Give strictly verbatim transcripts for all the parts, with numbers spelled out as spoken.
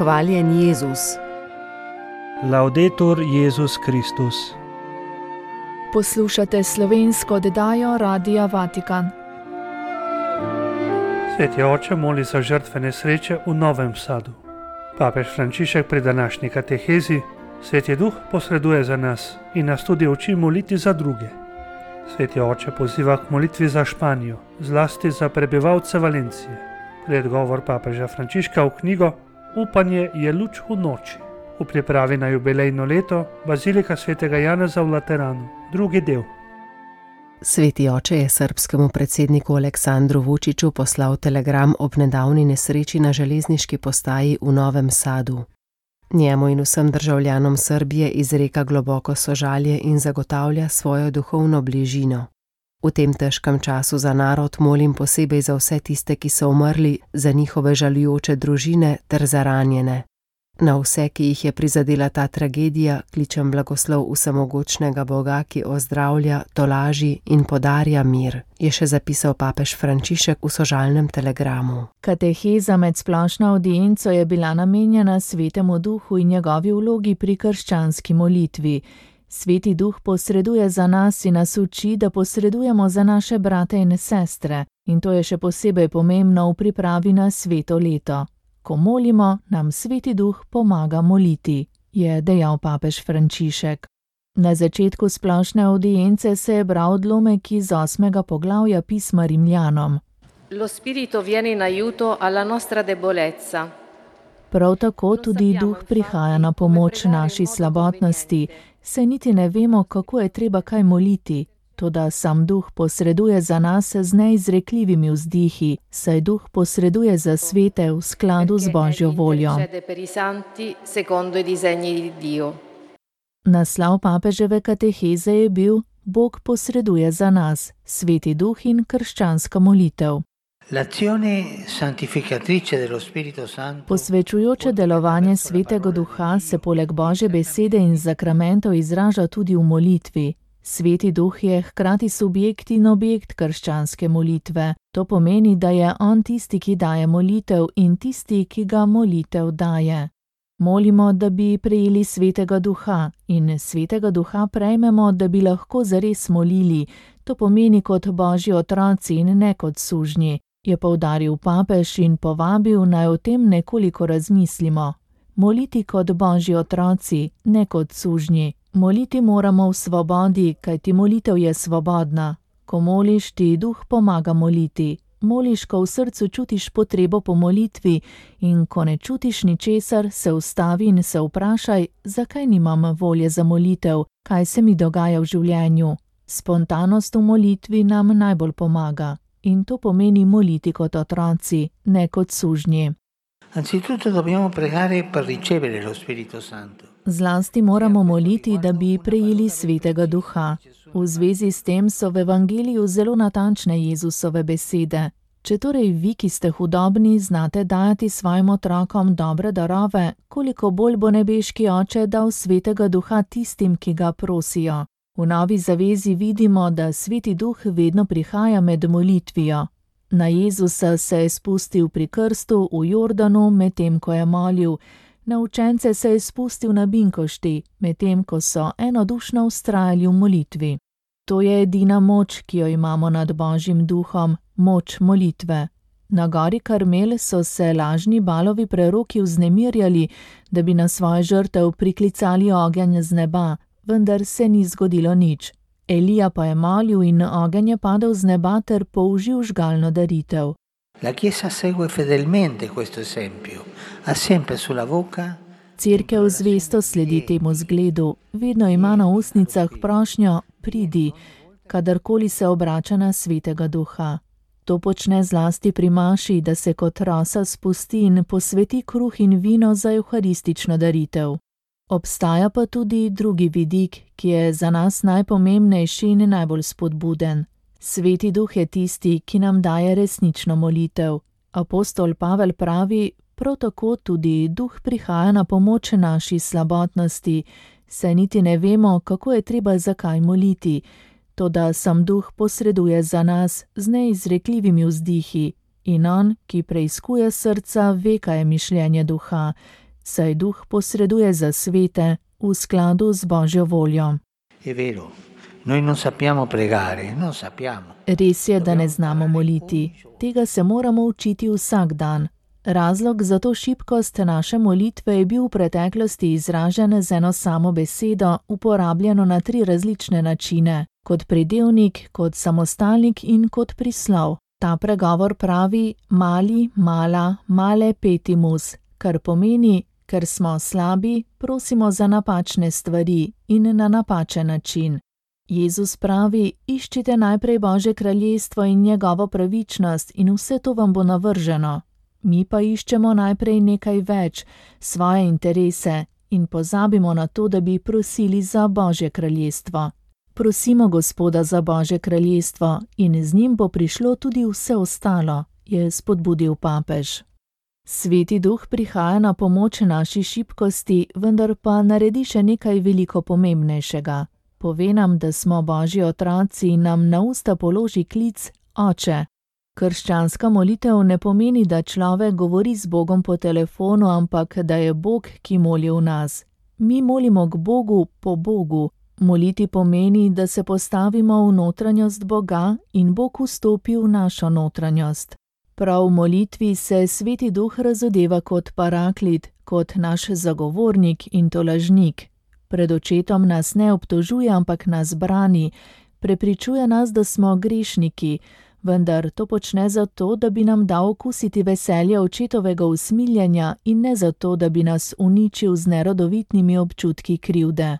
Hvaljen Jezus. Laudetur Jezus Kristus. Poslušate slovensko oddajo Radia Vatikan. Sveti oče moli za žrtve nesreče v Novem Sadu. Papež Frančišek pri današnji katehezi Sveti Duh posreduje za nas in nas tudi uči moliti za druge. Sveti oče poziva k molitvi za Španijo, zlasti za prebivalce Valencije. Predgovor papeža Frančiška v knjigo Upanje je luč v noči. V pripravi na jubilejno leto Bazilika svetega Janeza v Lateranu, drugi del. Sveti oče je srbskemu predsedniku Aleksandru Vučiću poslal telegram ob nedavni nesreči na železniški postaji v Novem Sadu. Njemu in vsem državljanom Srbije izreka globoko sožalje in zagotavlja svojo duhovno bližino. V tem težkem času za narod molim posebej za vse tiste, ki so umrli, za njihove žalujoče družine ter za ranjene. Na vse, ki jih je prizadela ta tragedija, kličem blagoslov vsemogočnega Boga, ki ozdravlja, tolaži in podarja mir, je še zapisal papež Frančišek v sožalnem telegramu. Kateheza med splošno avdienco je bila namenjena Svetemu Duhu in njegovi vlogi pri krščanski molitvi. Sveti Duh posreduje za nas in nas uči, da posredujemo za naše brate in sestre, in to je še posebej pomembno v pripravi na sveto leto. Ko molimo, nam Sveti Duh pomaga moliti, je dejal papež Frančišek. Na začetku splošne avdience se je bral odlomek iz osmega poglavja pisma Rimljanom. Lo spirito viene in aiuto alla nostra debolezza. Prav tako tudi Duh prihaja na pomoč naši slabotnosti, saj niti ne vemo, kako je treba kaj moliti. Toda sam Duh posreduje za nas z neizrekljivimi vzdihi, saj Duh posreduje za svete v skladu z Božjo voljo. Naslov papeževe kateheze je bil Bog posreduje za nas, Sveti Duh in krščanska molitev. Posvečujoče delovanje Svetega Duha se poleg Božje besede in zakramentov izraža tudi v molitvi. Sveti Duh je hkrati subjekt in objekt krščanske molitve. To pomeni, da je on tisti, ki daje molitev in tisti, ki ga molitev daje. Molimo, da bi prejeli Svetega Duha in Svetega Duha prejmemo, da bi lahko zares molili. To pomeni kot Božji otroci in ne kot sužnji, je poudaril papež in povabil, naj o tem nekoliko razmislimo. Moliti kot Božji otroci, ne kot sužnji. Moliti moramo v svobodi, kajti molitev je svobodna. Ko moliš, ti Duh pomaga moliti. Moliš, ko v srcu čutiš potrebo po molitvi in ko ne čutiš ničesar, se ustavi in se vprašaj, zakaj nimam volje za molitev, kaj se mi dogaja v življenju. Spontanost v molitvi nam najbolj pomaga in to pomeni moliti kot otroci, ne kot sužnji. Anzitutto dobbiamo pregare per ricevere lo Spirito Santo. Zlasti moramo moliti, da bi prejeli Svetega Duha. V zvezi s tem so v Evangeliju zelo natančne Jezusove besede. Če torej vi, ki ste hudobni, znate dajati svojim otrokom dobre darove, koliko bolj bo nebeški Oče dal Svetega Duha tistim, ki ga prosijo. V Novi zavezi vidimo, da Sveti Duh vedno prihaja med molitvijo. Na Jezusa se je spustil pri krstu v Jordanu, medtem ko je molil. Na učence se je spustil na Binkošti, medtem ko so enodušno vztrajali v molitvi. To je edina moč, ki jo imamo nad Božjim Duhom, moč molitve. Na gori Karmel so se lažni Balovi preroki vznemirjali, da bi na svojo žrtev priklicali ogenj z neba, vendar se ni zgodilo nič. Elija pa je molil in ogenj je padel z neba ter použil žgalno daritev. La Chiesa segue fedelmente questo esempio, ha sempre sulla bocca. Cerkev zvesto sledi temu zgledu, vedno ima na ustnicah prošnjo pridi, kadarkoli se obrača na Svetega Duha. To počne zlasti pri maši, da se kot rosa spusti in posveti kruh in vino za evharistično daritev. Obstaja pa tudi drugi vidik, ki je za nas najpomembnejši in najbolj spodbuden. Sveti Duh je tisti, ki nam daje resnično molitev. Apostol Pavel pravi, prav tako tudi Duh prihaja na pomoč naši slabotnosti, saj niti ne vemo, kako je treba zakaj moliti, toda sam Duh posreduje za nas z neizrekljivimi vzdihi in on, ki preiskuje srca, ve, kaj je mišljenje Duha, saj Duh posreduje za svete v skladu z Božjo voljo. È vero, noi non sappiamo pregare, non sappiamo. Res je, da ne znamo moliti. Tega se moramo učiti vsak dan. Razlog za to šibkost naše molitve je bil v preteklosti izražen z eno samo besedo, uporabljeno na tri različne načine, kot pridevnik, kot samostalnik in kot prislov. Ta pregovor pravi mali, mala, male petimus, kar pomeni, ker smo slabi, prosimo za napačne stvari in na napačen način. Jezus pravi, iščite najprej Božje kraljestvo in njegovo pravičnost in vse to vam bo navrženo. Mi pa iščemo najprej nekaj več, svoje interese in pozabimo na to, da bi prosili za Božje kraljestvo. Prosimo Gospoda za Božje kraljestvo in z njim bo prišlo tudi vse ostalo, je spodbudil papež. Sveti Duh prihaja na pomoč naši šibkosti, vendar pa naredi še nekaj veliko pomembnejšega. Pove nam, da smo Božji otroci in nam na usta položi klic Oče. Krščanska molitev ne pomeni, da človek govori z Bogom po telefonu, ampak da je Bog, ki moli v nas. Mi molimo k Bogu po Bogu. Moliti pomeni, da se postavimo v notranjost Boga in Bog vstopi v našo notranjost. Prav v molitvi se Sveti Duh razodeva kot paraklit, kot naš zagovornik in tolažnik. Pred očetom nas ne obtožuje, ampak nas brani, prepričuje nas, da smo grešniki, vendar to počne zato, da bi nam dal okusiti veselje očetovega usmiljenja in ne zato, da bi nas uničil z nerodovitnimi občutki krivde.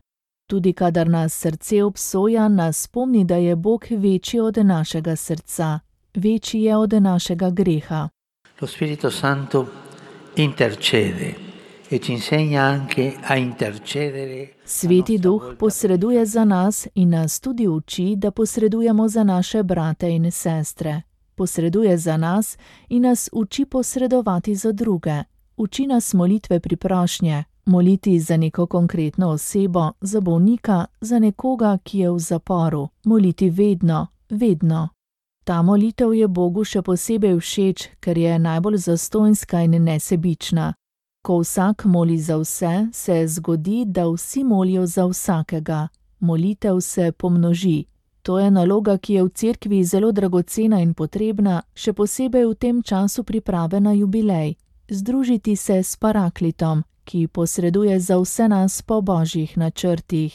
Tudi kadar nas srce obsoja, nas spomni, da je Bog večji od našega srca, večji je od našega greha. Lo Spirito Santo intercede e ci insegna anche a intercedere. Sveti Duh posreduje za nas in nas tudi uči, da posredujemo za naše brate in sestre. Posreduje za nas in nas uči posredovati za druge. Uči nas molitve priprošnje, moliti za neko konkretno osebo, za bolnika, za nekoga, ki je v zaporu. Moliti vedno, vedno. Ta molitev je Bogu še posebej všeč, ker je najbolj zastonjska in nesebična. Ko vsak moli za vse, se zgodi, da vsi molijo za vsakega. Molitev se pomnoži. To je naloga, ki je v cerkvi zelo dragocena in potrebna, še posebej v tem času priprave na jubilej. Združiti se s paraklitom, ki posreduje za vse nas po božjih načrtih.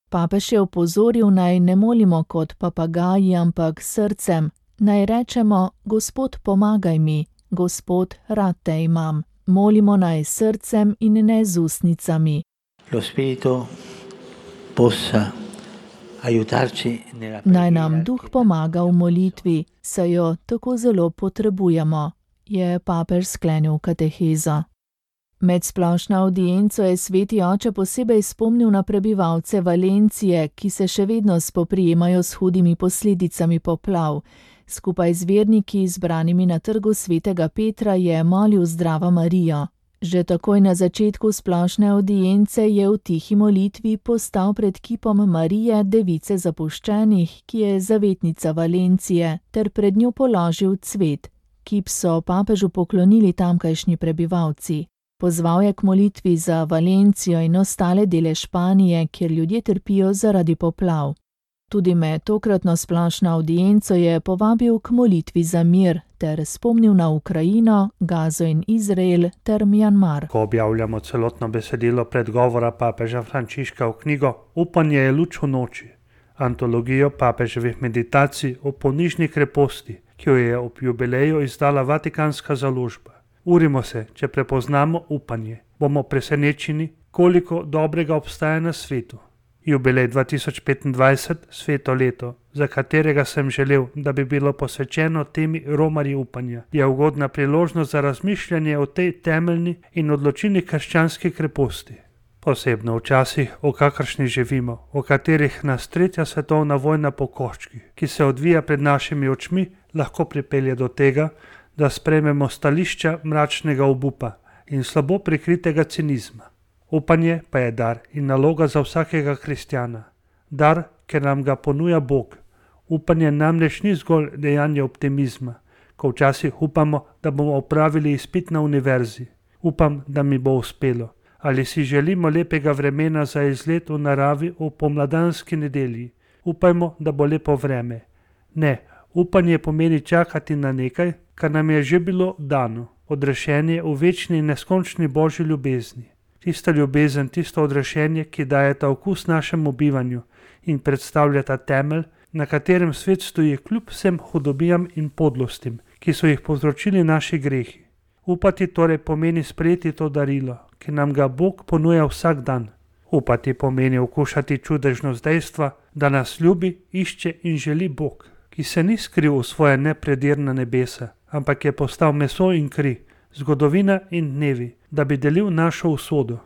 Papež je opozoril, naj ne molimo kot papagaji, ampak srcem. Naj rečemo, Gospod, pomagaj mi, Gospod, rad te imam. Molimo naj srcem in ne z ustnicami. Lo Spirito possa aiutarci nella preghiera. Naj nam Duh pomaga v molitvi, saj jo tako zelo potrebujemo, je papež sklenil katehezo. Med splošno avdienco je Sveti Oče posebej spomnil na prebivalce Valencije, ki se še vedno spoprijemajo s hudimi posledicami poplav. Skupaj z verniki, zbranimi na trgu Svetega Petra, je molil Zdravo Marijo. Že takoj na začetku splošne avdience je v tihi molitvi postal pred kipom Marije, device zapuščenih, ki je zavetnica Valencije, ter pred njo položil cvet. Kip so papežu poklonili tamkajšnji prebivalci. Pozval je k molitvi za Valencijo in ostale dele Španije, kjer ljudje trpijo zaradi poplav. Tudi med tokratno splošno avdienco je povabil k molitvi za mir ter spomnil na Ukrajino, Gazo in Izrael ter Mjanmar. Ko objavljamo celotno besedilo predgovora papeža Frančiška v knjigo Upanje je luč v noči, antologijo papeževih meditacij o ponižni kreposti, ki jo je ob jubileju izdala Vatikanska založba. Urimo se, če prepoznamo upanje. Bomo presenečeni, koliko dobrega obstaja na svetu. Jubilej dva tisoč petindvajset, sveto leto, za katerega sem želel, da bi bilo posvečeno temi romarji upanja, je ugodna priložnost za razmišljanje o tej temeljni in odločilni krščanski kreposti. Posebno v časih, v kakršnih živimo, v katerih nas tretja svetovna vojna po koščkih, ki se odvija pred našimi očmi, lahko pripelje do tega, da sprejmemo stališča mračnega obupa in slabo prikritega cinizma. Upanje pa je dar in naloga za vsakega kristjana. Dar, ker nam ga ponuja Bog. Upanje namreč ni zgolj dejanje optimizma, ko včasih upamo, da bomo opravili izpit na univerzi. Upam, da mi bo uspelo. Ali si želimo lepega vremena za izlet v naravi v pomladanski nedelji? Upajmo, da bo lepo vreme. Ne, upanje pomeni čakati na nekaj, kar nam je že bilo dano. Odrešenje v večni in neskončni Božji ljubezni. Tista ljubezen, tisto odrešenje, ki daje ta okus našemu bivanju in predstavlja ta temelj, na katerem svet stoji kljub vsem hudobijam in podlostim, ki so jih povzročili naši grehi. Upati torej pomeni sprejeti to darilo, ki nam ga Bog ponuja vsak dan. Upati pomeni okušati čudežnost dejstva, da nas ljubi, išče in želi Bog, ki se ni skril v svoje nepredirna nebesa, ampak je postal meso in kri, zgodovina in dnevi, da bi delil našo usodo.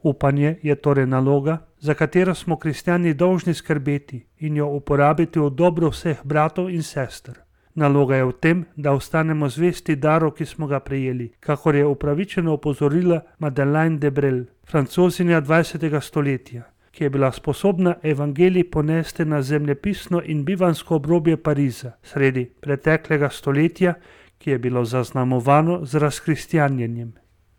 Upanje je torej naloga, za katero smo kristjani dolžni skrbeti in jo uporabiti v dobro vseh bratov in sester. Naloga je v tem, da ostanemo zvesti daru, ki smo ga prejeli, kakor je upravičeno opozorila Madeleine de Brel, francozinja dvajsetega stoletja, ki je bila sposobna evangelij ponesti na zemljepisno in bivansko obrobje Pariza, sredi preteklega stoletja, ki je bilo zaznamovano z razkristjanjenjem.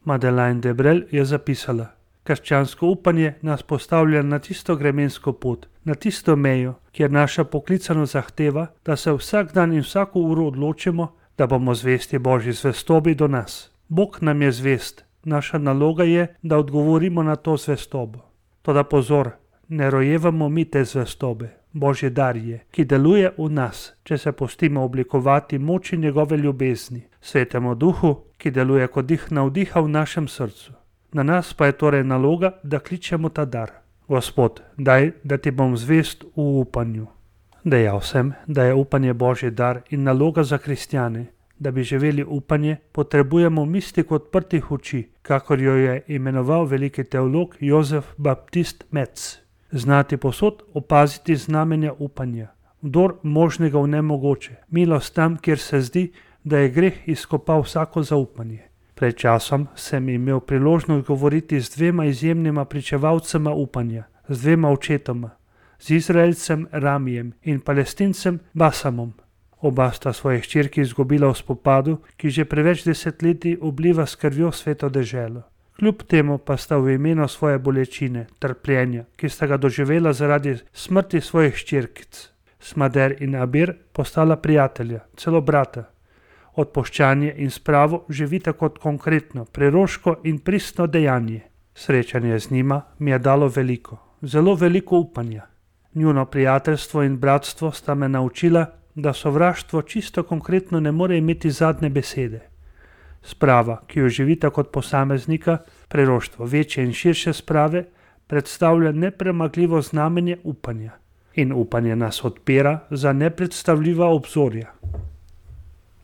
Madeleine de Brel je zapisala: krščansko upanje nas postavlja na tisto gremensko pot, na tisto mejo, kjer naša poklicanost zahteva, da se vsak dan in vsako uro odločimo, da bomo zvesti Božji zvestobi do nas. Bog nam je zvest, naša naloga je, da odgovorimo na to zvestobo. Toda pozor, ne rojevamo mi te zvestobe, Božji dar je, ki deluje v nas, če se pustimo oblikovati moči njegove ljubezni, Svetemu Duhu, ki deluje kot dih navdiha v našem srcu. Na nas pa je torej naloga, da kličemo ta dar. Gospod, daj, da ti bom zvest v upanju. Dejal sem, da je upanje Božji dar in naloga za kristjane. Da bi živeli upanje, potrebujemo mistiko odprtih oči, kakor jo je imenoval veliki teolog Jozef Baptist Metz. Znati posod opaziti znamenja upanja. Vdor možnega v nemogoče, milost tam, kjer se zdi, da je greh izkopal vsako zaupanje. Pred časom sem imel priložnost govoriti z dvema izjemnima pričevalcema upanja, z dvema očetoma, z Izraelcem Ramijem in Palestincem Basamom. Oba sta svoje hčerki izgubila v spopadu, ki že preveč desetletij obliva s krvjo sveto deželo. Kljub temu pa sta v imenu svoje bolečine, trpljenja, ki sta ga doživela zaradi smrti svojih hčerkic, Smader in Abir, postala prijatelja, celo brata. Odpuščanje in spravo živita kot konkretno, preroško in pristno dejanje. Srečanje z njima mi je dalo veliko, zelo veliko upanja. Njuno prijateljstvo in bratstvo sta me naučila, da sovraštvo čisto konkretno ne more imeti zadnje besede. Sprava, ki jo živita kot posameznika, preroštvo večje in širše sprave, predstavlja nepremagljivo znamenje upanja. In upanje nas odpira za nepredstavljiva obzorja.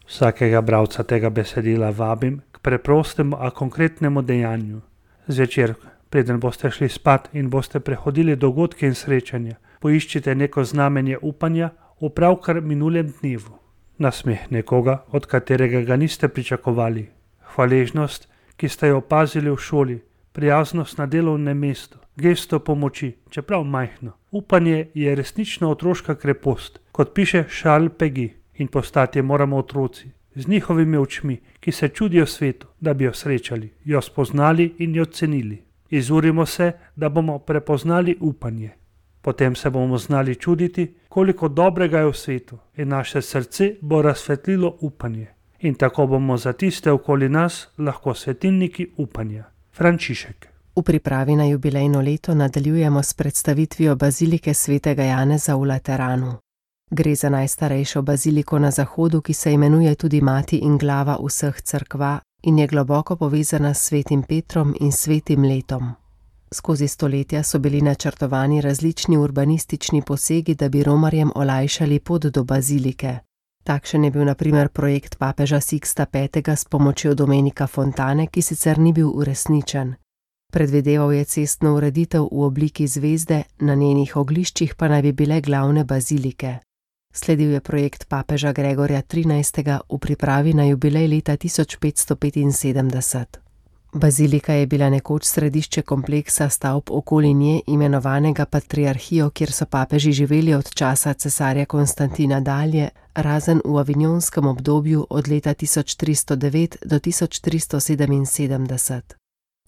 Vsakega bralca tega besedila vabim k preprostemu, a konkretnemu dejanju. Zvečer, preden boste šli spat in boste prehodili dogodke in srečanja, poiščite neko znamenje upanja v pravkar minulem dnevu. Nasmeh nekoga, od katerega ga niste pričakovali. Hvaležnost, ki ste jo opazili v šoli, prijaznost na delovnem mestu, gesto pomoči, čeprav majhno. Upanje je resnično otroška krepost, kot piše Charles Péguy. In postati moramo otroci, z njihovimi očmi, ki se čudijo svetu, da bi jo srečali, jo spoznali in jo cenili. Izurimo se, da bomo prepoznali upanje. Potem se bomo znali čuditi, koliko dobrega je v svetu, in naše srce bo razsvetlilo upanje. In tako bomo za tiste okoli nas lahko svetilniki upanja. Frančišek. V pripravi na jubilejno leto nadaljujemo s predstavitvijo bazilike svetega Janeza v Lateranu. Gre za najstarejšo baziliko na zahodu, ki se imenuje tudi Mati in glava vseh cerkva in je globoko povezana s svetim Petrom in svetim letom. Skozi stoletja so bili načrtovani različni urbanistični posegi, da bi romarjem olajšali pot do bazilike. Takšen je bil na primer projekt papeža Siksta petega s pomočjo Domenika Fontane, ki sicer ni bil uresničen. Predvideval je cestno ureditev v obliki zvezde, na njenih ogliščih pa naj bi bile glavne bazilike. Sledil je projekt papeža Gregorja trinajstega v pripravi na jubilej leta tisoč petsto petinsedemdeset. Bazilika je bila nekoč središče kompleksa stavb okoli nje, imenovanega Patriarhijo, kjer so papeži živeli od časa cesarja Konstantina dalje, razen v avignonskem obdobju od leta tisoč tristo devet do tisoč tristo sedeminsedemdeset.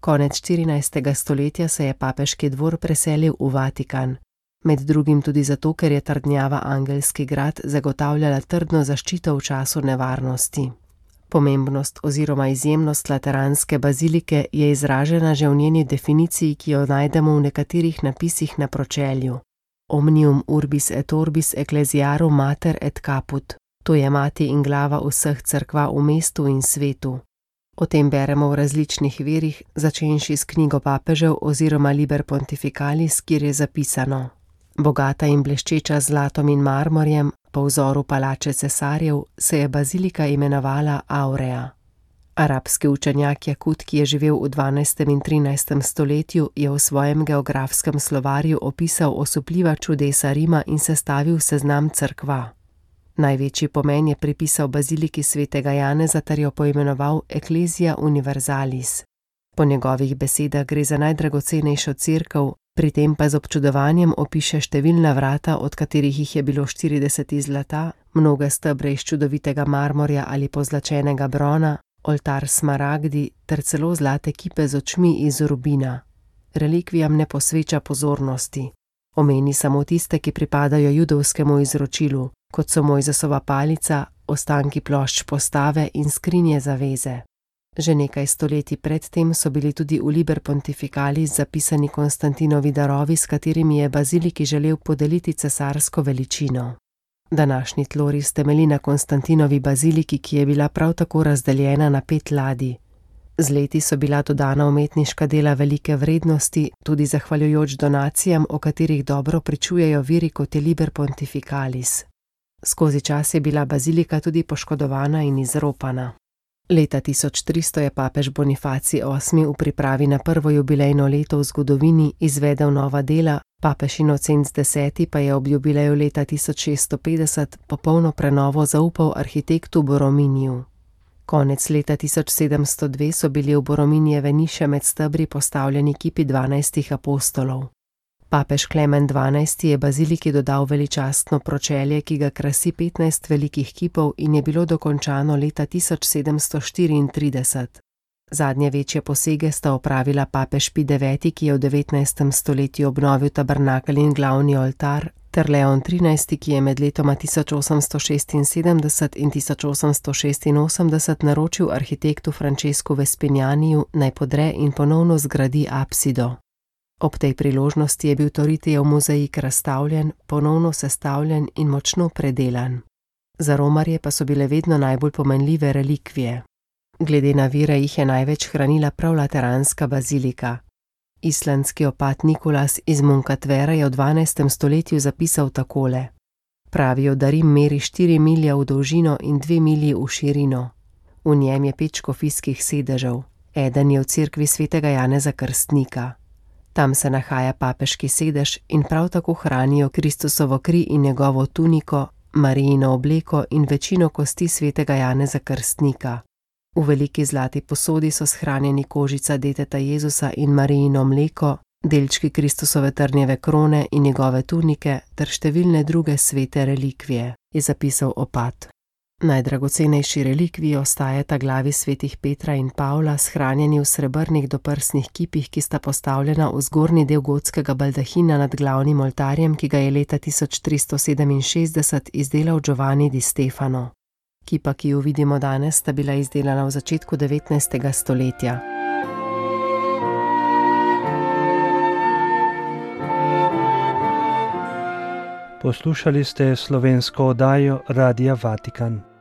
Konec štirinajstega stoletja se je papeški dvor preselil v Vatikan, med drugim tudi zato, ker je trdnjava Angelski grad zagotavljala trdno zaščito v času nevarnosti. Pomembnost oziroma izjemnost lateranske bazilike je izražena že v njeni definiciji, ki jo najdemo v nekaterih napisih na pročelju. Omnium urbis et orbis ecclesiarum mater et caput, to je mati in glava vseh cerkva v mestu in svetu. O tem beremo v različnih virih, začenši s knjigo papežev oziroma Liber Pontificalis, kjer je zapisano: bogata in bleščeča z zlatom in marmorjem, po vzoru palače cesarjev, se je bazilika imenovala Aurea. Arabski učenjak Jakut, ki je živel v dvanajstem in trinajstem stoletju, je v svojem geografskem slovarju opisal osupljiva čudesa Rima in sestavil seznam cerkva. Največji pomen je pripisal baziliki svetega Janeza ter jo poimenoval Ecclesia Universalis. Po njegovih besedah gre za najdragocenejšo cerkev, pri tem pa z občudovanjem opiše številna vrata, od katerih jih je bilo štirideset iz zlata, mnoge stebre iz čudovitega marmorja ali pozlačenega brona, oltar smaragdi ter celo zlate kipe z očmi iz rubina. Relikvijam ne posveča pozornosti. Omeni samo tiste, ki pripadajo judovskemu izročilu, kot so Mojzesova palica, ostanki plošč postave in skrinje zaveze. Že nekaj stoletij predtem so bili tudi v Liber Pontificalis zapisani Konstantinovi darovi, s katerimi je baziliki želel podeliti cesarsko veličino. Današnji tloris temelji na Konstantinovi baziliki, ki je bila prav tako razdeljena na pet ladij. Z leti so bila dodana umetniška dela velike vrednosti, tudi zahvaljujoč donacijam, o katerih dobro pričujejo viri, kot je Liber Pontificalis. Skozi čas je bila bazilika tudi poškodovana in izropana. Leta tisoč tristo je papež Bonifacij osmi v pripravi na prvo jubilejno leto v zgodovini izvedel nova dela, papež Inocenc deseti pa je ob jubileju leta tisoč šeststo petdeset popolno prenovo zaupal arhitektu Borominiju. Konec leta tisoč sedemsto dve so bili v Borominijeve niše med stebri postavljeni kipi dvanajstih apostolov. Papež Klemen dvanajsti je baziliki dodal veličastno pročelje, ki ga krasi petnajst velikih kipov in je bilo dokončano leta tisoč sedemsto štiriintrideset. Zadnje večje posege sta opravila papež Pij deveti, ki je v devetnajstem stoletju obnovil tabernakelj in glavni oltar, ter Leon trinajsti, ki je med letoma tisoč osemsto šestinsedemdeset in tisoč osemsto šestinosemdeset naročil arhitektu Francesku Vespinianiju, naj podre in ponovno zgradi apsido. Ob tej priložnosti je bil Toritijev mozaik razstavljen, ponovno sestavljen in močno predelan. Za romarje pa so bile vedno najbolj pomenljive relikvije. Glede na vire jih je največ hranila prav lateranska bazilika. Islandski opat Nikolas iz Munkatvera je v dvanajstem stoletju zapisal takole: pravijo, da Rim meri štiri milje v dolžino in dve milji v širino. V njem je pet škofijskih sedežev, eden je v cerkvi svetega Janeza Krstnika. Tam se nahaja papeški sedež in prav tako hranijo Kristusovo kri in njegovo tuniko, Marijino obleko in večino kosti svetega Janeza Krstnika. V veliki zlati posodi so shranjeni kožica deteta Jezusa in Marijino mleko, delčki Kristusove trnjeve krone in njegove tunike ter številne druge svete relikvije, je zapisal opat. Najdragocenejši relikviji ostajata glavi svetih Petra in Pavla, shranjeni v srebrnih doprsnih kipih, ki sta postavljena v zgornji del gotskega baldahina nad glavnim oltarjem, ki ga je leta tisoč tristo sedeminšestdeset izdelal Giovanni di Stefano. Kipa, ki jo vidimo danes, sta bila izdelana v začetku devetnajstega stoletja. Poslušali ste slovensko oddajo Radia Vatikan.